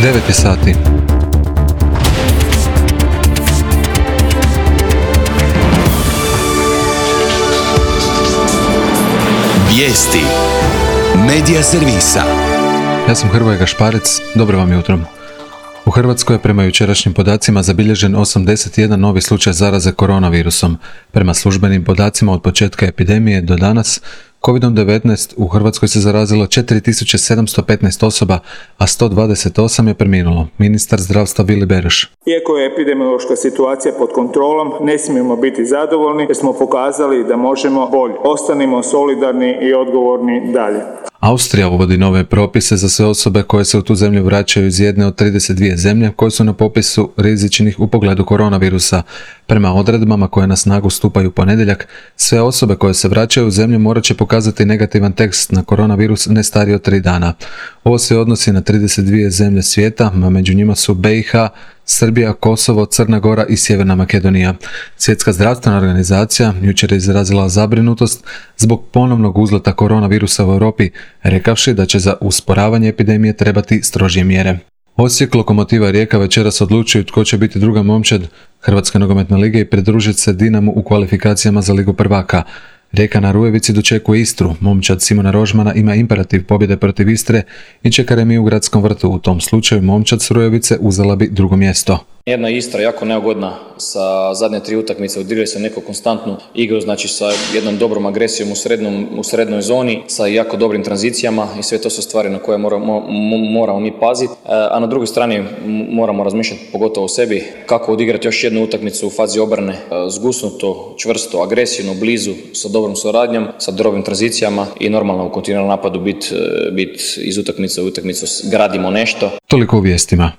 9 sati. Vijesti Medija servisa. Ja sam Hrvoje Gašparec, dobro vam jutro. U Hrvatskoj je prema jučerašnjim podacima zabilježen 81 novi slučaj zaraze koronavirusom. Prema službenim podacima od početka epidemije do danas, COVID-19 u Hrvatskoj se zarazilo 4715 osoba, a 128 je preminulo. Ministar zdravstva Vili Beroš. Iako je epidemiološka situacija pod kontrolom, ne smijemo biti zadovoljni jer smo pokazali da možemo bolje. Ostanimo solidarni i odgovorni dalje. Austrija uvodi nove propise za sve osobe koje se u tu zemlju vraćaju iz jedne od 32 zemlje koje su na popisu rizičnih u pogledu koronavirusa. Prema odredbama koje na snagu stupaju u ponedjeljak, sve osobe koje se vraćaju u zemlju morat će pokazati negativan test na koronavirus ne stariji od 3 dana. Ovo se odnosi na 32 zemlje svijeta, a među njima su BiH, Srbija, Kosovo, Crna Gora i Sjeverna Makedonija. Svjetska zdravstvena organizacija jučer je izrazila zabrinutost zbog ponovnog uzleta koronavirusa u Europi, rekavši da će za usporavanje epidemije trebati strožije mjere. Osijek, Lokomotiva Rijeka večeras odlučuju tko će biti druga momčad Hrvatske nogometne lige i pridružiti se Dinamu u kvalifikacijama za Ligu prvaka. Rijeka na Rujevici dočekuje Istru. Momčad Simona Rožmana ima imperativ pobjede protiv Istre i čeka remiju u Gradskom vrtu. U tom slučaju momčad s Rujevice uzela bi drugo mjesto. Jedna Istra jako neugodna sa zadnje 3 utakmice, odigrali se neku konstantnu igru, znači sa jednom dobrom agresijom u srednjoj zoni, sa jako dobrim tranzicijama i sve to su stvari na koje moramo mi paziti. A na drugoj strani moramo razmišljati pogotovo o sebi kako odigrati još jednu utakmicu u fazi obrane, zgusnuto, čvrsto, agresivno, blizu, sa dobrom suradnjom, sa dobrim tranzicijama i normalno u kontinuiranom napadu biti iz utakmice u utakmicu gradimo nešto. Toliko u vijestima.